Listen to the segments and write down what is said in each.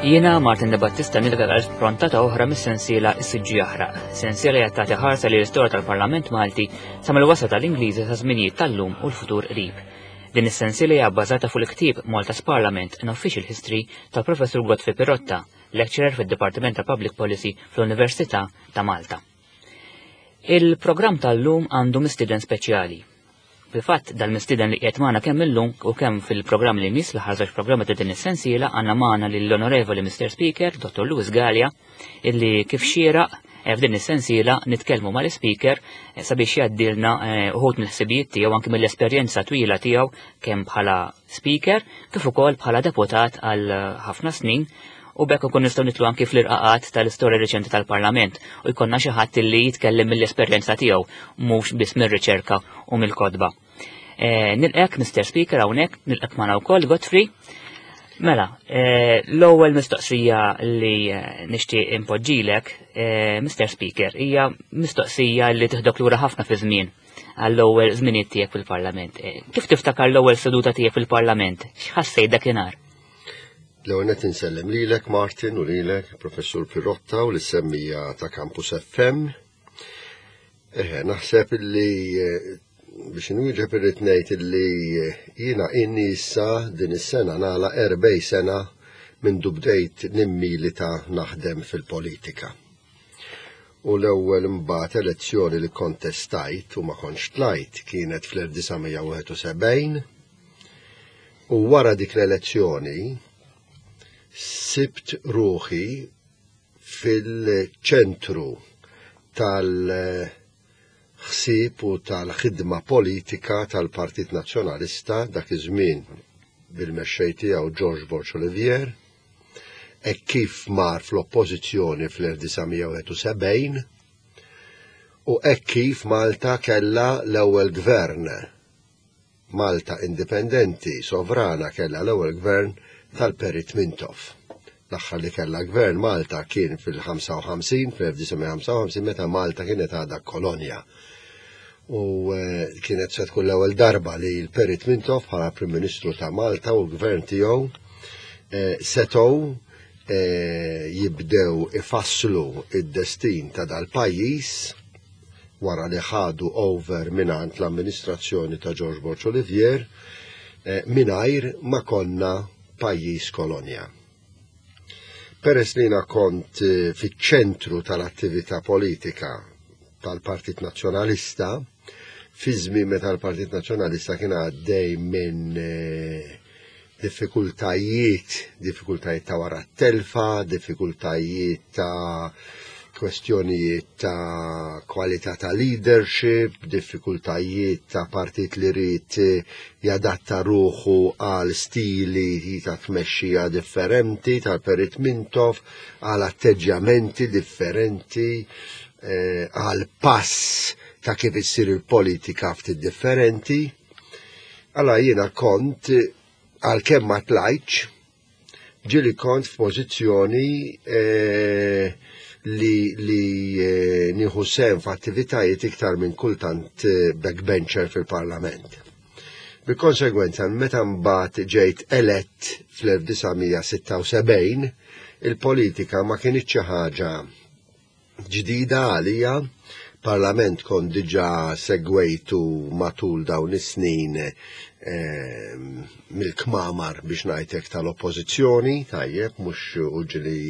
Jiena Martin De Battista nilqa għal prontata oħra mis-sensiela Is-Siġġu Jaħraq. Sensiela li tagħti ħarsa li l-istorja tal-Parlament Malti sa mill-wasla tal-Ingliżi sa żminijiet tal-lum u l-futur qrib. Din is-sensiela hija bbażata fuq il-ktieb Malta's Parliament an Official History tal-Professur Godfrey Pirotta, lecturer fid-Dipartiment ta' Public Policy fl-Università ta' Malta. Il-programm tal-lum għandu mistieden speċjali. Fil-fatt, dal-mistieden li qiegħed magħna kemm illum u kemm fil-programm li jmiss l-aħħar żewġ programmi ta' din is-sensiela għandna magħna lill-Onorevoli Mr. Speaker, Dr. Louis Galea, illi kif xieraq eh, f'din is-sensiela nitkellmu mal-Speaker eh, sabiex jgħaddilna eh, uħud mill-ħsibijiet tiegħu anke mill-esperjenza twila tiegħu kemm bħala Speaker kif ukoll bħala deputat għal ħafna snin u bekk ukoll nistgħu nitlu anki fl-irqaqat tal-istorja riċenti tal-Parlament u jkollna xi ħadd li jitkellem mill-esperjenza tiegħu mhux biss mir-riċerka u mill-kotba. Eh, nilqek Mr. Speaker hawnhekk, nilqek magħna wkoll Godfrey. Mela, eh, l-ewwel mistoqsija li eh, nixtieq impoġġilek, Mr. Speaker, hija mistoqsija li tiħdok lura ħafna fi żmien għall-ewwel żminijiet tiegħek fil-Parlament. Kif tiftakar l-ewwel seduta tiegħek fil-Parlament? X'ħassejt dakinhar? L-ewwel nett insellem lilek Martin u lilek Professur Pirotta u lis-semmija ta' Campus FM. Eħe, naħseb illi eh, biex inwieġeb irrid ngħid illi eh, jiena inni issa din is-sena nagħlaq erbej sena minn bdejt nimmilita naħdem fil-politika. U l-ewwel imbagħad elezzjoni li kontestajt u ma kontx tlajt kienet fl-1971 U wara dik l-elezzjoni sibt ruħi fil-ċentru tal-ħsieb u tal-ħidma politika tal-Partit Nazzjonalista dak iż-żmien bil-mexxej tiegħu George Borg Olivier, hekk kif mar fl-oppożizzjoni fl-1971 u hekk kif Malta kellha l-ewwel gvern Malta indipendenti, sovrana kellha l-ewwel gvern tal-Perit Mintoff. L-aħħar li kellha gvern Malta kien fil-55, fl-1955 meta Malta kienet għadha kolonja. U eh, kienet se tkun l-ewwel darba li l-Perit Mintoff bħala Prim Ministru ta' Malta u l-gvern tiegħu eh, setgħu eh, jibdew ifasslu id-destin ta' dal-pajjiż wara li ħadu over mingħand l-amministrazzjoni ta' George Borg Olivier eh, mingħajr ma konna pajjiż kolonja. Peress li jiena kont eh, fiċ-ċentru tal-attività politika tal-Partit Nazzjonalista, fi żmien meta l-Partit Nazzjonalista kien għaddej minn eh, diffikultajiet, diffikultajiet ta' wara t-telfa, diffikultajiet ta' kwestjonijiet ta' kwalità ta' leadership, diffikultajiet ta' partit li rrid jadatta ruħu għal stili ta' tmexxija differenti tal-Perit Mintoff, għal atteġġjamenti differenti, eh, għal pass ta' kif issir il-politika ftit differenti. Alla jiena kont għalkemm ma tlajtx, ġieli kont f'pożizzjoni eh, li, li eh, nieħu sehem f'attivitajiet iktar minn kultant eh, backbencher fil-Parlament. Bil-konsegwenza, meta mbagħad ġejt elett fl-1976, il-politika ma kinitx xi ħaġa ġdida għalija, parlament kont diġà segwejtu matul dawn is-snin ehm, mill-kmamar biex ngħidlek tal-oppożizzjoni, tajjeb, mhux uġli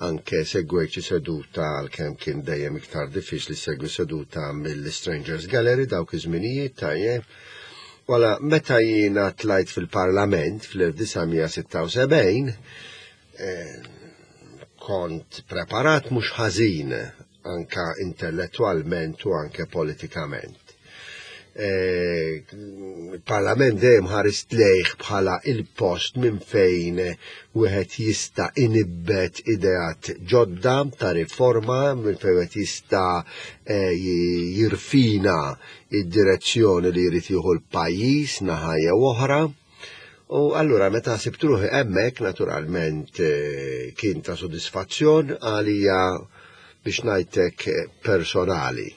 anke segwejt xi seduta għalkemm kien dejjem iktar diffiċli segwi seduta mill-Strangers Gallery dawk iż-żminijiet, tajjeb. Wala meta jiena tlajt fil-Parlament fl-1976, Eh, kont preparat mhux ħażin anka intellettwalment u anke politikament. Eh, il-Parlament dejjem ħarist lejh bħala il-post minn fejn wieħed jista' inibbet ideat ġodda ta' riforma, minn fejn wieħed jista' eh, jirfina id-direzzjoni li jrid jieħu l-pajjiż naħa jew oħra. U allura meta sibt ruħi hemmhekk naturalment eh, kien ta' sodisfazzjon għalija biex ngħidlek eh, personali.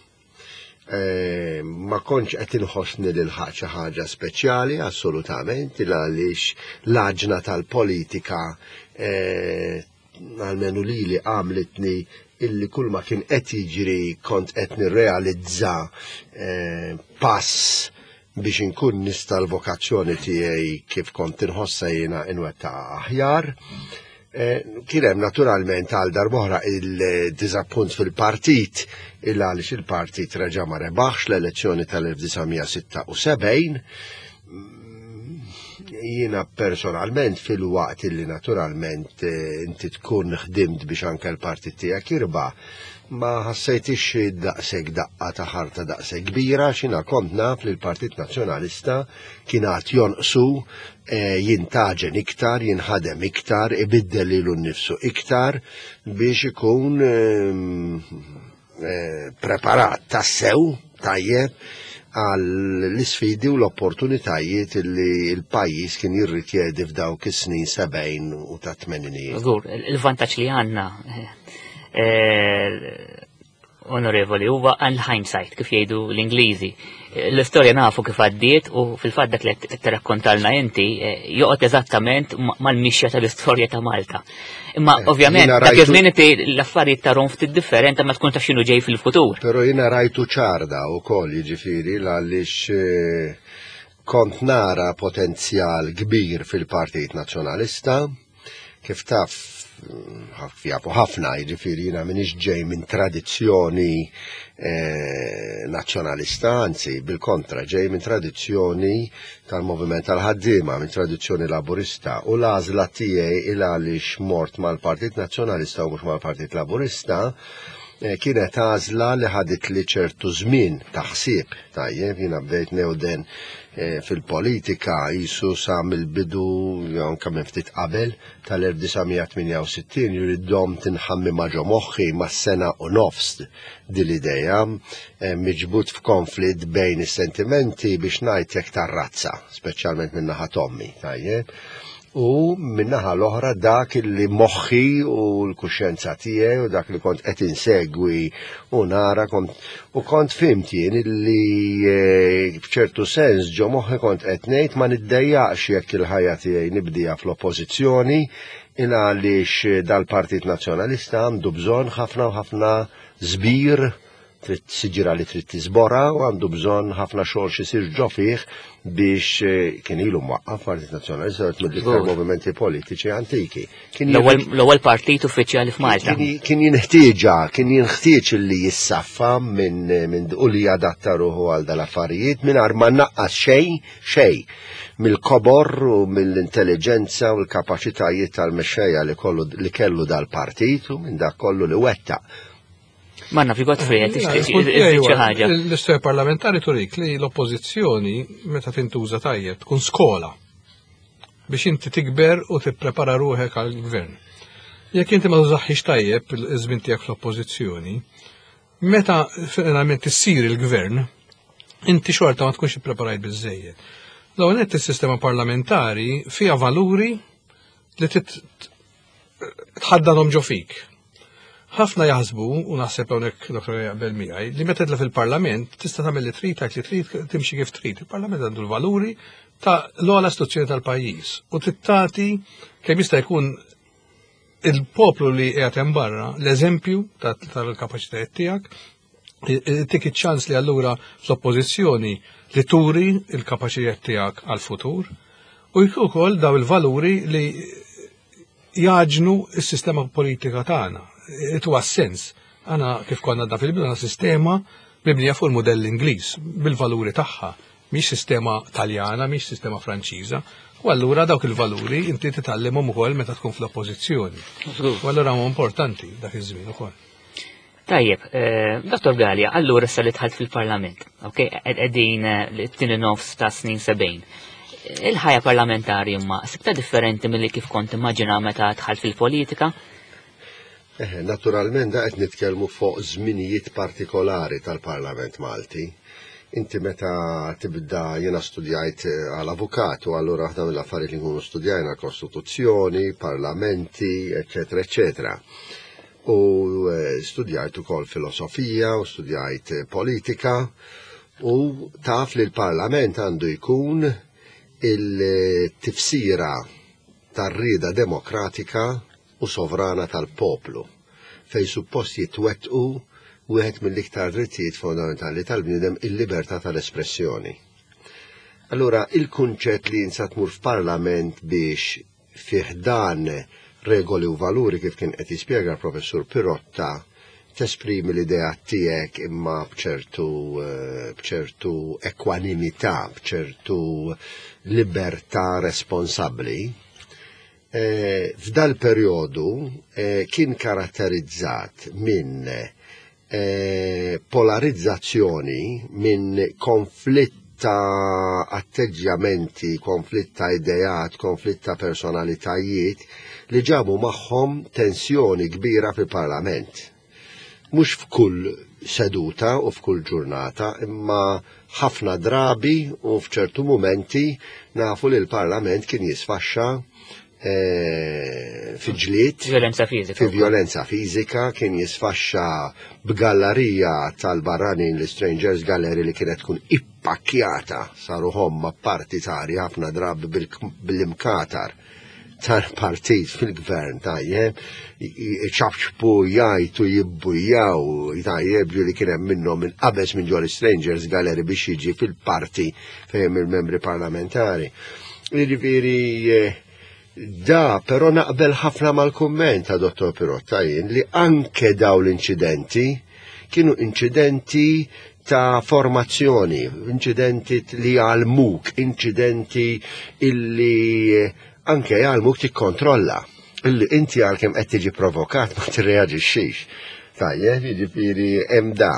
Eh, ma kontx qed inħossni lil xi ħaġa speċjali assolutament għaliex l-aġna tal-politika Almenu lili għamlitni illi kull ma kien qed jiġri kont qed nirrealizza eh, pass biex inkun nista' l-vokazzjoni tiegħi kif kont inħossha jiena inwettaqha aħjar. Eh, kien hemm naturalment għal darb'oħra il-diżappunt fil-partit il għaliex il-partit reġa' ma rebaħx l-elezzjoni tal-1976. Jiena personalment fil-waqt illi naturalment eh, inti tkun ħdimt biex anke l-partit tiegħek jirbaħ, ma ħassejtix daqshekk daqqa ta' ħarta daqshekk kbira x'ina kont naf li l-Partit Nazzjonalista kien għad jonqsu eh, jintaġen iktar, jinħadem iktar, ibiddel lilu nnifsu iktar biex ikun ehm, eh, preparat tassew tajjeb għal l-isfidi u l-opportunitajiet li l-pajjiż kien jirrikjedi f'dawk is-snin 70 u ta' 80. Żgur, il-vantaġġ li għandna eh, onorevoli, huwa għal hindsight kif jgħidu l-Ingliżi. L-istorja nafu kif għaddiet u fil-fatt dak li qed tirrakkontalna inti eh, joqgħod eżattament mal-mixja tal-istorja ta' Malta. Imma eh, ovvjament dak iż-żmien inti l-affarijiet tarhom ftit differenti ma tkun taf x'inhu ġej fil-futur. Però jiena rajtu ċarda wkoll jiġifieri għaliex eh, kont nara potenzjal kbir fil-Partit Nazzjonalista Kif taf, jafu ħafna, jiġifieri jiena m'iniex ġej minn tradizzjoni eh, nazzjonalista, anzi bil-kontra ġej minn tradizzjoni tal-moviment tal-ħaddiema, minn tradizzjoni laburista u l-għażla tiegħi il għaliex mort mal-Partit Nazzjonalista u mhux mal-Partit Laburista eh, kienet għażla li ħadit li ċertu żmien ta' ħsieb tajjeb, jiena bdejt newden Eh, fil-politika jisu sa mill-bidu jew anke minn ftit qabel tal-1968 juri dom tinħammi ma' ġo moħħi ma' sena u nofs din l-idea eh, miġbut f'konflitt bejn is-sentimenti biex ngħid jekk tar-razza, speċjalment minn naħa tommi, tajjeb. U min-naħa l-oħra dak li moħħi u l-kuxjenza tiegħi u dak li kont qed insegwi u nara kont u kont fimt jien li eh, f'ċertu sens ġo moħħi kont qed ngħid ma niddejjaqx jekk il-ħajja tiegħi nibdija fl-oppożizzjoni il għaliex dal-Partit Nazzjonalista għandu bżonn ħafna u ħafna żbir trid siġra li trid tiżbora u għandu bżonn ħafna xogħol xi ġo fih biex eh, kien ilu mwaqqaf Partit Nazzjonalista għet mill-iktar movimenti politiċi antiki. L-ewwel partit uffiċjali f'Malta. Kien jinħtieġa, kien jinħtieġ li jissaffa minn min u li jadatta ruħu għal dal-affarijiet mingħajr ma naqqas xejn xejn mill-kobor u mill-intelligenza u l-kapaċitajiet tal-mexxejja li kollu li kellu dal-partit u minn dak kollu li wettaq. Manna fi Godfrey qed tixtieq xi ħaġa. L-istorja parlamentari turik li l-oppożizzjoni meta tintuża tajjeb tkun skola biex inti tikber u tipprepara ruħek għall-gvern. Jekk inti ma tużaħħix tajjeb iż-żmien tiegħek fl-oppożizzjoni, meta finalment issir il-gvern, inti xorta ma tkunx ippreparajt biżejjed. L-ewwel nett is-sistema parlamentari fiha valuri li tħaddanhom ġo fik. Ħafna jaħsbu, u naħseb hawnhekk Dr. jaqbel miegħi, li meta tidla fil-Parlament tista' tagħmel li trid, tgħid li trid, timxi kif trid. Il-Parlament għandu l-valuri ta' l-ogħla istituzzjoni tal-pajjiż u tittati kemm jista' jkun il-poplu li qiegħed hemm barra l-eżempju tal-kapaċitajiet tiegħek, tik iċ-ċans li allura fl-oppożizzjoni li turi il-kapaċitajiet tiegħek għal-futur u wkoll daw il-valuri li jaġnu s-sistema politika tagħna. Itu sens. Għana kif konna da fil-bidu sistema mibnija fuq il-modell Ingliż bil-valuri tagħha, mhix sistema Taljana, mhix sistema Franċiża. U allura dawk il-valuri inti titgħallimhom ukoll meta tkun fl-oppożizzjoni. U allura huma importanti dak iż-żmien ukoll. Tajjeb, eh, Dr. Gallia, allura issa li dħalt fil-Parlament, ok, qegħdin eh, l-tieni nofs ta' snin 70. Il-ħajja parlamentari imma sibta differenti milli kif kont immaġina meta dħalt fil-politika? Eh, naturalment da qed nitkellmu fuq żminijiet partikolari tal-Parlament Malti. Inti meta tibda jiena studjajt għal avukat u allura waħda mill-affarijiet li nkunu studjajna kostituzzjoni, parlamenti, eċetera, eċetera. U eh, studjajt ukoll filosofija u studjajt eh, politika u taf li l-Parlament għandu jkun il-tifsira tar-rieda demokratika u sovrana tal-poplu, fejn suppost jitwettqu wieħed mill-iktar drittijiet fondamentali tal-bniedem il-libertà tal-espressjoni. Allura, il-kunċett li insa tmur f'parlament biex fih dan regoli u valuri kif kien qed jispjega l-professur Pirotta tesprimi l-idea tiegħek imma bċertu eh, bċertu ekwanimità, bċertu libertà responsabbli. Eh, f'dal perjodu eh, kien karatterizzat minn polarizzazzjoni, minn konflitt ta' atteġġjamenti, konflitt ta' ideat, konflitt ta' personalitajiet li ġabu magħhom tensjoni kbira fil-Parlament. Mhux f'kull seduta u f'kull ġurnata, imma ħafna drabi u f'ċertu mumenti nafu li l-Parlament kien jisfaxxa eh, fi ġlied. Violenza fizika. Fi violenza fizika kien jisfaxxa b'gallerija tal-barranin l-Strangers Gallery li kienet tkun ippakkjata saru homma partitari ħafna drabi bil-imkatar tal-partit fil-gvern tajjeb, ċabċbu jajtu jibbujaw tajjeb li kien hemm minnhom minn qabeż minn ġol Strangers Gallery biex jiġi fil-parti fejn il-membri parlamentari. Jiġifieri eh, da però naqbel ħafna mal-kumment ta' Dottor Pirotta jien li anke daw l-inċidenti kienu inċidenti ta' formazzjoni, inċidenti li għalmuk, inċidenti illi eh, anke jgħalmuk tikkontrolla. Illi inti għalkemm qed tiġi provokat ma tirreaġixxix. Tajjeb, jiġifieri hemm da.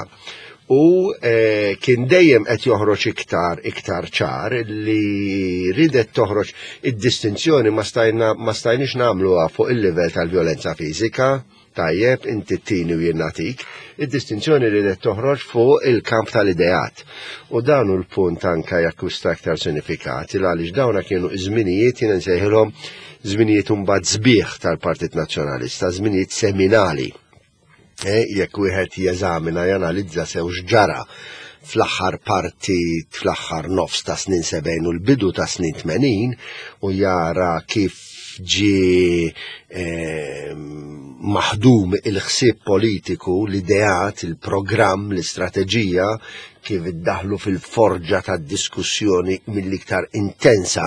U eh, kien dejjem qed joħroġ iktar iktar ċar li ridet toħroġ id-distinzjoni ma stajna ma stajniex nagħmluha fuq il-livell tal-vjolenza fiżika, tajjeb, inti tini u jien nagħtik, id-distinzjoni ridet toħroġ fuq il-kamp tal-ideat. U dan hu l-punt anka jakkwista aktar sinifikat, il għaliex dawna kienu żminijiet jien nsejħilhom żminijiet imbagħad sbieħ tal-Partit Nazzjonalista, żminijiet seminali. Eh, jekk wieħed jeżamina janalizza sew x'ġara fl-aħħar parti fl-aħħar nofs ta' snin 70 u l-bidu ta' snin 80 u jara kif ġi eh, maħdum il-ħsieb politiku, l-ideat, il-programm, l-istrateġija kif iddaħlu fil-forġa ta' diskussjoni mill-iktar intensa,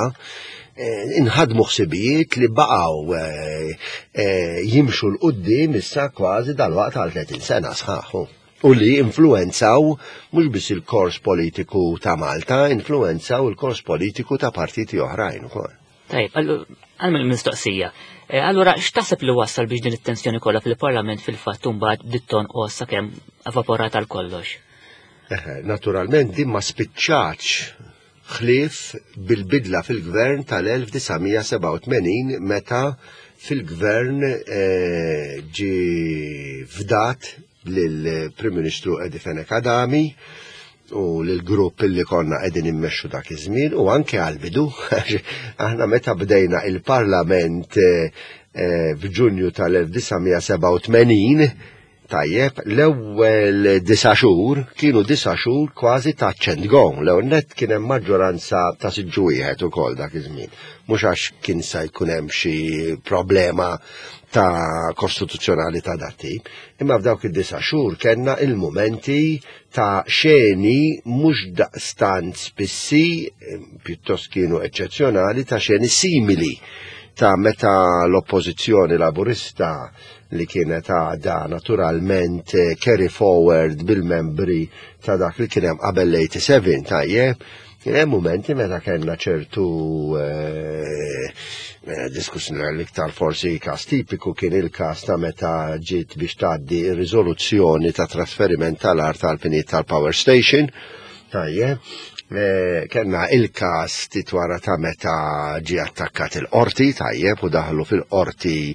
eh, inħadmu ħsibijiet li baqgħu eh, eh, jimxu l-qoddim issa kważi dal-waqt għal 30 sena sħaħu u li influenzaw mhux biss il-kors politiku ta' Malta, influenzaw il-kors politiku ta' partiti oħrajn ukoll. Tajb, għal mistoqsija. Allura, x'taħseb li wassal biex din it-tensjoni kollha fil-Parlament fil-fatt mbagħad bdiet tonqos sakemm evaporat għal kollox? Naturalment din ma spiċċatx ħlief bil-bidla fil-gvern tal-1987 meta fil-gvern eh, ġi fdat lill-Prim Ministru Eddie Fenech Adami u lill-grupp li konna qegħdin immexxu dak iż-żmien u anke għall-bidu aħna meta bdejna il-Parlament eh, eh, f'Ġunju tal-1987 Tajjeb, l-ewwel disa' xhur kienu disa' xhur kważi touch and go. L-ewwel nett kien hemm maġġoranza ta' siġġu wieħed ukoll dak iż-żmien. Mhux għax kien sa jkun hemm xi problema ta' kostituzzjonali ta' dat tip, imma f'dawk id-disa' xhur kellna il-mumenti ta' xeni mhux daqstant spissi, pjuttost kienu eċċezzjonali, ta' xeni simili ta' meta l-oppożizzjoni laburista li kienet għadha naturalment eh, carry forward bil-membri ta' dak li kien hemm qabel l-87 tajjeb. Kien hemm mumenti meta kellna ċertu eh, eh, diskussjoni l-iktar forsi każ tipiku kien il-każ ta' meta ġiet biex tgħaddi r-riżoluzzjoni ta' trasferiment tal-art tal-finijiet tal-power station. Tajjeb, eh, kellna il-każ ftit wara ta' meta ġie attakkat il-qorti, tajjeb, u daħlu fil-qorti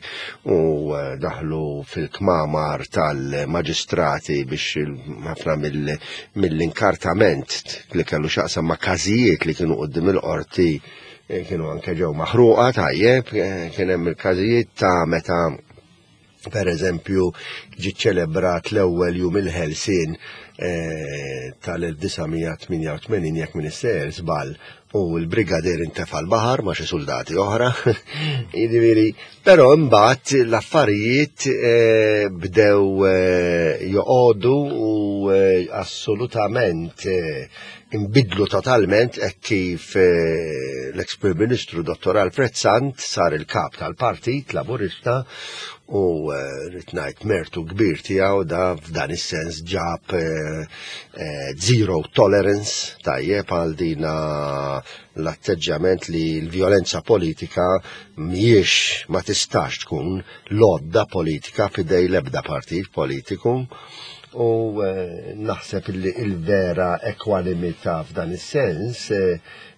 u eh, daħlu fil-kmamar tal-maġistrati biex ħafna mill-inkartament li kellu xaqsam ma' każijiet li kienu qudiem il-qorti eh, kienu anke ġew maħruqa, tajjeb, kien hemm il-każijiet ta' meta Per eżempju, ġi ċelebrat l-ewwel jum il-ħelsien tal-1988 jekk minn sejjer żball u l-brigadier intefa' l-baħar ma' xi soldati oħra. Jiġifieri, però mbagħad l-affarijiet bdew joqogħdu u assolutament inbidlu totalment hekk kif l-eks Prim Ministru Dottor Alfred Sant sar il-kap tal-Partit Laburista u rrid ngħid mertu kbir tiegħu da f'dan is-sens ġab zero tolerance tajjeb għal dina l-atteġġjament li l-vjolenza politika mhijiex ma tistax tkun l-għodda politika f'idej l-ebda partit politiku u naħseb li il-vera ekwanimità f'dan is-sens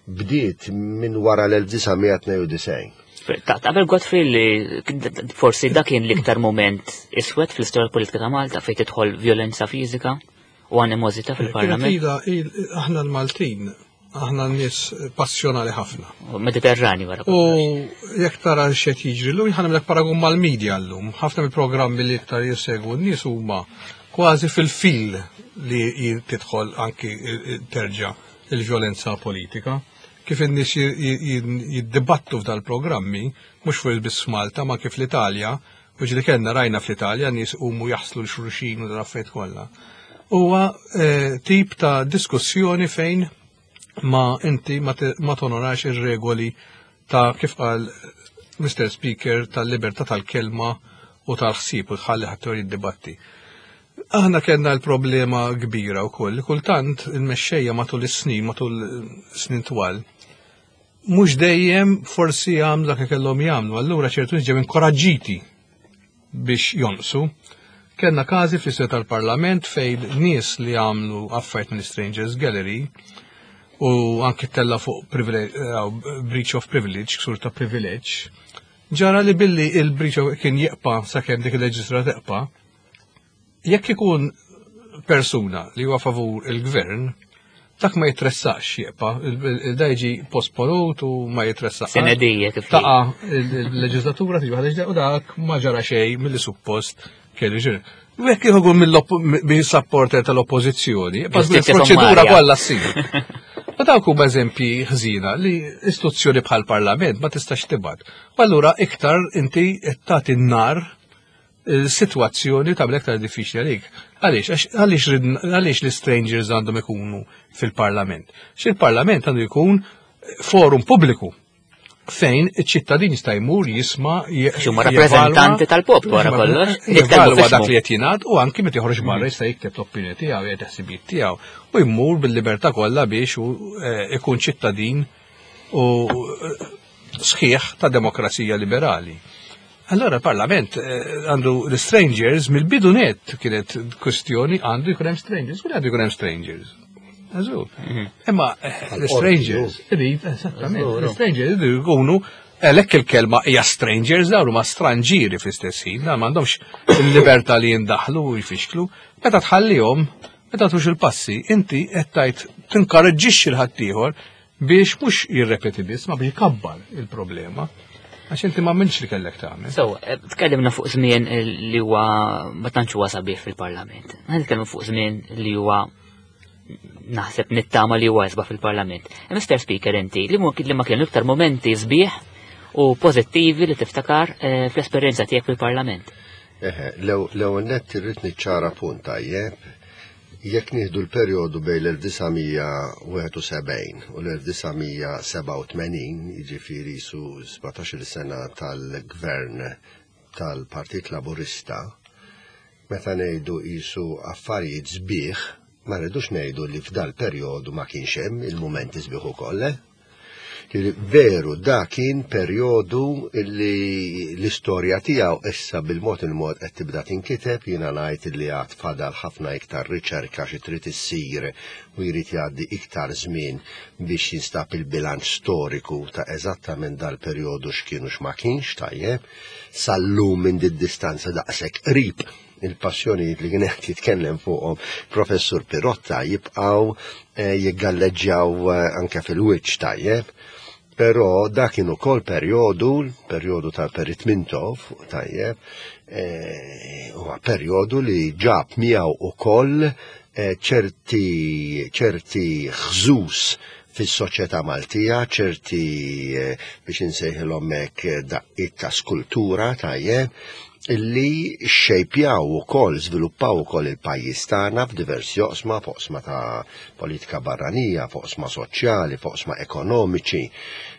bdiet minn wara l-1992. Taqbel Godfrey li forsi dak kien l-iktar moment iswed fl-istorja politika ta' Malta fejn tidħol violenza fiżika u animosità fil-Parlament? Aħna l-Maltin, aħna n-nies passjonali ħafna. Mediterrani wara. U jekk tara x'qed jiġri llum, ħa nagħmlek paragun mal-medja llum. Ħafna mill-programmi li iktar jissegwu n-nies huma kważi fil-fil li tidħol anki terġa' il-vjolenza politika. Kif in-nies jiddibattu f'dal-programmi, mhux fuq biss f'Malta, ma kif l-Italja, u ġieli kellna rajna fl-Italja nies umu jaħslu l-xulxin u dal-affarijiet kollha. Huwa tip ta' diskussjoni fejn ma inti ma tonorax ir-regoli ta' kif qal Mr. Speaker tal-libertà tal-kelma u tal-ħsieb u tħalli ħadd jiddibatti. Aħna kellna l-problema kbira wkoll li kultant il-mexxejja matul is-snin, matul snin twal, mhux dejjem forsi jagħmlu dak li kellhom jagħmlu, allura ċertu nies ġew inkoraġġiti biex jonqsu. Kellna każi fl-istorja tal-Parlament fejn nies li għamlu affarijiet mill-Strangers Gallery u anki tella fuq breach of privilege, ksur ta' privilege, ġara li billi il-breach kien jibqa' sakemm dik il-leġislatura teqpa', jekk ikun persuna li huwa favur il-gvern, dak ma jitressax jibqa', da jiġi posponut u ma jitressax. Senedija kif Taqa' il-leġislatura tiġi waħda u dak ma ġara xejn milli suppost kellu ġiri. U jekk ikun mill-supporter tal-oppożizzjoni, proċedura kollha ssir. Ma dawk huma eżempji ħżina li istituzzjoni bħal parlament ma tistax tibgħat. U allura iktar inti qed tagħti n-nar il-sitwazzjoni tagħmel aktar diffiċli għalik. Għaliex? Għaliex l-strangers għandhom ikunu fil-parlament? Xi il-parlament għandu jkun forum pubbliku fejn iċ-ċittadin jista' jmur jisma' Huma rappreżentanti tal-poplu wara kollox. Jevalwa dak li qed jingħad u anki meta joħroġ barra jista' jikteb l-opinjoni tiegħu jgħid ħsibijiet tiegħu u jmur bil-libertà kollha biex ikun ċittadin u sħiħ ta' demokrazija liberali. Allora il-Parlament għandu l-strangers mill-bidu net kienet kwestjoni għandu jkun hemm strangers, kull għandu jkun hemm strangers. Għażu. Imma l-strangers, irid, esattament, l-strangers iridu jkunu għalhekk il-kelma hija strangers, dawn huma stranġieri fl-istess ħin, dawn m'għandhomx il-libertà li jindaħlu u jfixklu. Meta tħallihom, meta tux il-passi, inti qed tgħid tinkoraġġixxi l-ħaddieħor biex mhux jirrepeti biss, ma biex jkabbar il-problema. Għax inti ma minx li kellek tagħmel. So, tkellimna fuq żmien li huwa ma tantx huwa sabiħ fil-Parlament. Nitkellmu fuq żmien li huwa naħseb nittama li huwa isbaħ fil-Parlament. Mr. Speaker, inti li ma kienu iktar momenti sbieħ u pożittivi li tiftakar fl-esperjenza tiegħek fil-Parlament. Eħe, l-ewwel nett irrid niċċara punt tajjeb. Jekk nieħdu l-perjodu bejn l-1971 u l-1987, jiġifieri su 17-il sena tal-gvern tal-Partit Laburista, meta ngħidu qisu affarijiet sbieħ, ma rridux ngħidu li f'dal perjodu ma kienx hemm il-mumenti sbieħ ukoll. Veru, da kien perjodu li l-istorja tiegħu issa bil-mod il-mod qed tibda tinkiteb, jiena ngħid li għad fadal ħafna iktar riċerka xi trid issir u jrid jgħaddi iktar żmien biex jinstab il-bilanċ storiku ta' eżattament dal-perjodu x'kienu x'ma kienx tajjeb. Sal-lum minn did-distanza daqshekk qrib il-passjonijiet li kien qed jitkellem fuqhom Professur Pirotta jibqgħu jiggalleġġjaw anke fil-wiċċ tajjeb. Però dak kien ukoll perjodu, perjodu tal-Perit Mintoff, tajjeb, eh, huwa perjodu li ġab miegħu ukoll eh, ċerti ċerti ħżus fis-soċjetà Maltija, ċerti eh, biex insejħilhom hekk daqqiet ta' skultura tajjeb, illi xejpjaw ukoll, żviluppaw ukoll il-pajjiż tagħna f'diversi oqsma, f'oqsma ta' politika barranija, f'oqsma soċjali, f'oqsma ekonomiċi,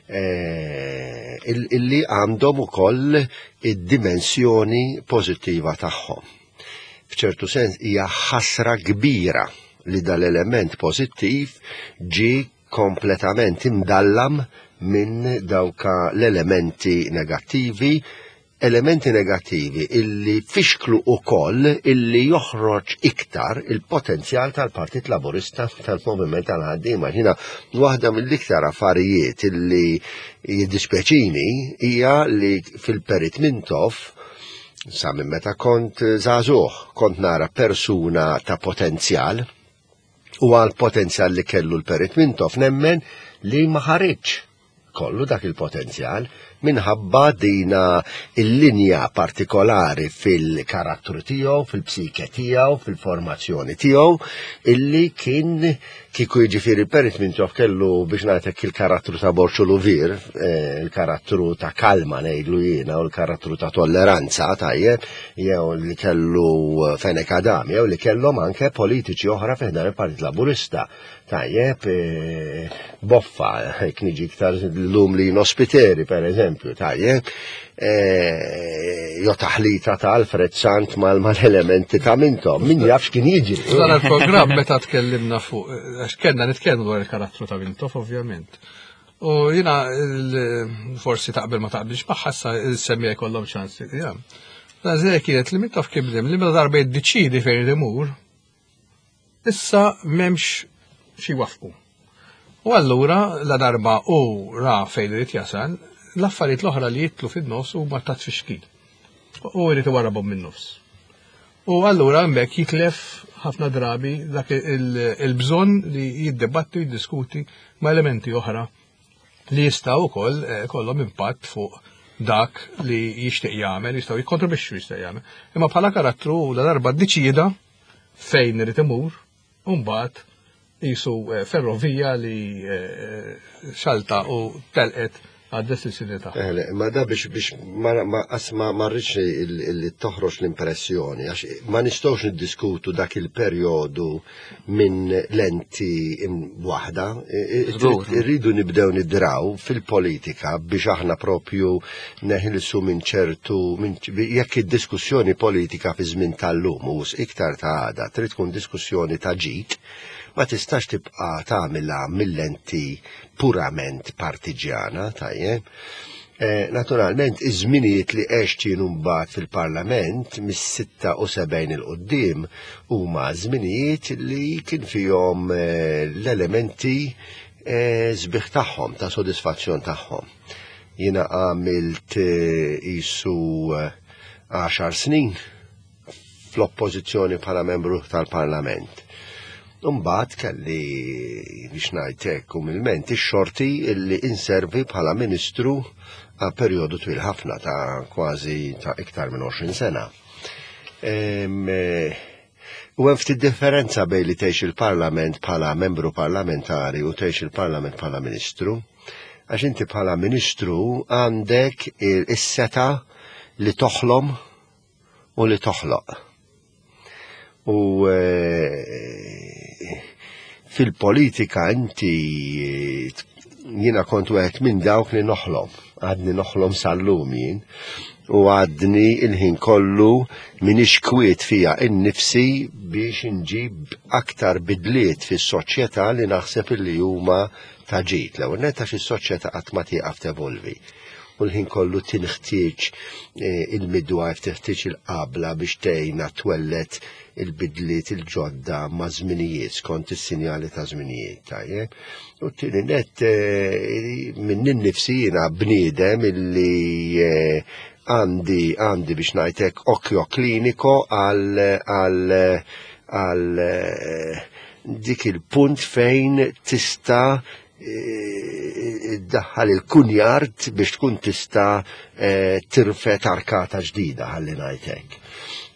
eh, illi għandhom ukoll id-dimensjoni pożittiva tagħhom. F'ċertu sens hija ħasra kbira li dal-element pożittiv ġie kompletament imdallam minn dawka l-elementi negattivi elementi negattivi illi fixklu ukoll illi joħroġ iktar il-potenzjal tal-Partit Laburista tal-Moviment tal-Ħaddiema. Jiena waħda mill-iktar affarijiet illi jiddispjaċini hija li fil-Perit Mintoff sa minn meta kont żagħżugħ kont nara persuna ta' potenzjal u għal potenzjal li kellu l-Perit Mintoff nemmen li ma ħariġx kollu dak il-potenzjal minħabba dina il-linja partikolari fil-karattru tiegħu, fil-psike tiegħu, fil-formazzjoni tiegħu, illi kien kieku jiġifieri Perit Mintoff kellu biex ngħidlek il-karattru ta' Borċu Luvir, eh, il-karattru ta' kalma ngħidlu jiena u l-karattru ta' tolleranza tajjeb, jew li kellu Fenech Adami, jew li kellhom anke politiċi oħra fi ħdan il-Partit Laburista. Tajjeb, eh, boffa, hekk niġi iktar l-lum li nospiteri, per eżempju, tajjeb, eh, jo taħlita ta' Alfred Sant mal-elementi ta' mintom, min jaf x'kien jiġri. Dan il-programm meta tkellimna fuq, għax kellna nitkellmu dwar il-karattru ta' Mintoff, ovvjament. U jina forsi taqbel ma taqbilx magħha issa il-semmija jkollhom ċans. Ja. kienet li Mintoff kien li meta darba jiddeċiedi fejn imur, Issa m'hemmx xi jwaffqu. U allura la darba hu ra fejn irid jasal, l-affarijiet l-oħra li jitlu fin-nofs huma ta' tfixkil. U jrid iwarrabhom min-nofs. U allura hemmhekk jitlef ħafna drabi dak il-bżonn li jiddibatti u jiddiskuti ma' elementi oħra li jistgħu wkoll eh, kollhom impatt fuq dak li jixtieq jagħmel, jistgħu jikkontribwixxu jistgħu jagħmel. Imma bħala karattru la darba ddeċieda fejn irid imur, u mbagħad qisu eh, ferrovija li eh, xalta u telqet għad-destinazzjoni tagħha. Eh, ma da biex biex ma ma ma rridx li toħroġ l-impressjoni għax ma nistgħux niddiskutu dak il-perjodu minn lenti waħda. Irridu nibdew nidraw fil-politika biex aħna propju neħilsu minn ċertu jekk id-diskussjoni politika fi żmien tal-lum u iktar ta' għada trid tkun diskussjoni ta' ġid, ma tistax tibqa' tagħmilha mill-lenti purament partiġjana, tajjeb. Eh, naturalment, iż-żminijiet li għext jien mbagħad fil-Parlament mis-76 il quddiem huma żminijiet li kien fihom eh, l-elementi eh, sbieħ tagħhom, ta' sodisfazzjon tagħhom. Jiena għamilt qisu eh, għaxar snin fl-oppożizzjoni bħala membru tal-Parlament. Mbagħad kelli biex ngħid hekk umilment ix-xorti illi inservi bħala ministru għal perjodu twil ħafna ta' kważi ta' iktar minn 20 sena. Eh, u hemm ftit differenza bejn li tgħix il-Parlament bħala membru parlamentari u tgħix il-Parlament bħala ministru. Għax inti bħala ministru għandek is-seta li toħlom u li toħloq. U eh, fil-politika inti jiena kont wieħed minn dawk li noħlom, għadni noħlom sal-lum jien, u għadni il-ħin kollu minix kwiet fija innifsi biex inġib aktar bidliet fis-soċjetà li naħseb illi huma ta' ġid. L-ewwel nett għax is-soċjetà qatt ma tieqaf tevolvi. U l-ħin kollu tinħtieġ eh, il-midwife, tinħtieġ il-qabla biex tgħinha twellet il-bidliet il-ġodda ma' żminijiet skont is-sinjali ta' żminijiet, tajjeb. U t-tieni net eh, minn innifsi jiena bniedem illi eh, għandi għandi biex ngħidlek occhio kliniko għal għal għal dik il-punt fejn tista' Iddaħħal il-kunjard biex tkun tista' eh, tirfet arkata ġdida ħalli ngħid hekk.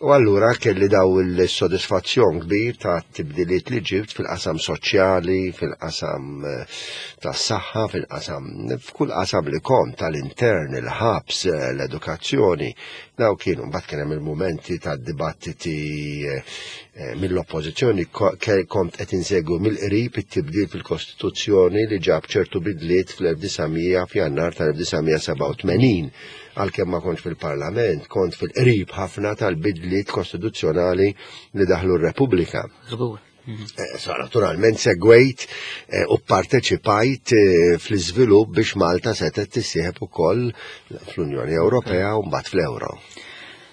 U allura kelli daw il-sodisfazzjon kbir ta' tibdiliet li ġibt fil-qasam soċjali, fil-qasam eh, tas-saħħa, fil-qasam f'kull qasam li kont tal-intern, il-ħabs, eh, l-edukazzjoni. Daw kienu mbagħad kien hemm il-mumenti ta' dibattiti eh, mill-oppożizzjoni kont qed insegwu mill-qrib it-tibdil fil-Kostituzzjoni li ġab ċertu bidliet fl-1900 f'Jannar tal-1987 għalkemm ma kontx fil-Parlament, kont fil-qrib ħafna tal-bidliet kostituzzjonali li daħlu r-Repubblika. Żgur. Eh, so, naturalment segwejt eh, u parteċipajt eh, fl-iżvilupp biex Malta setgħet tissieħeb ukoll fl-Unjoni Ewropea u mbagħad fl-Ewro.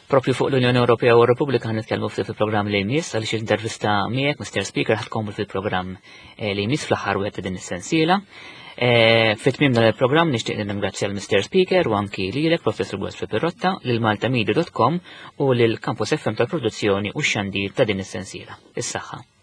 Propju fuq l-Unjoni Ewropea u r-Repubblika nitkellmu ftit fil-programm li jmiss għaliex intervista miegħek Mr. Speaker ħad tkompli fil-programm li jmiss fl-aħħar wieħed ta' din is-sensiela. Fit-tmiem dan il-programm nixtieq nirringrazzja l-Mr. Speaker u anki lilek Professor Godfrey Pirotta, lil maltamedia.com u lil Campus FM tal-produzzjoni u x-xandir ta' din is-sensiela. Is-saħħa.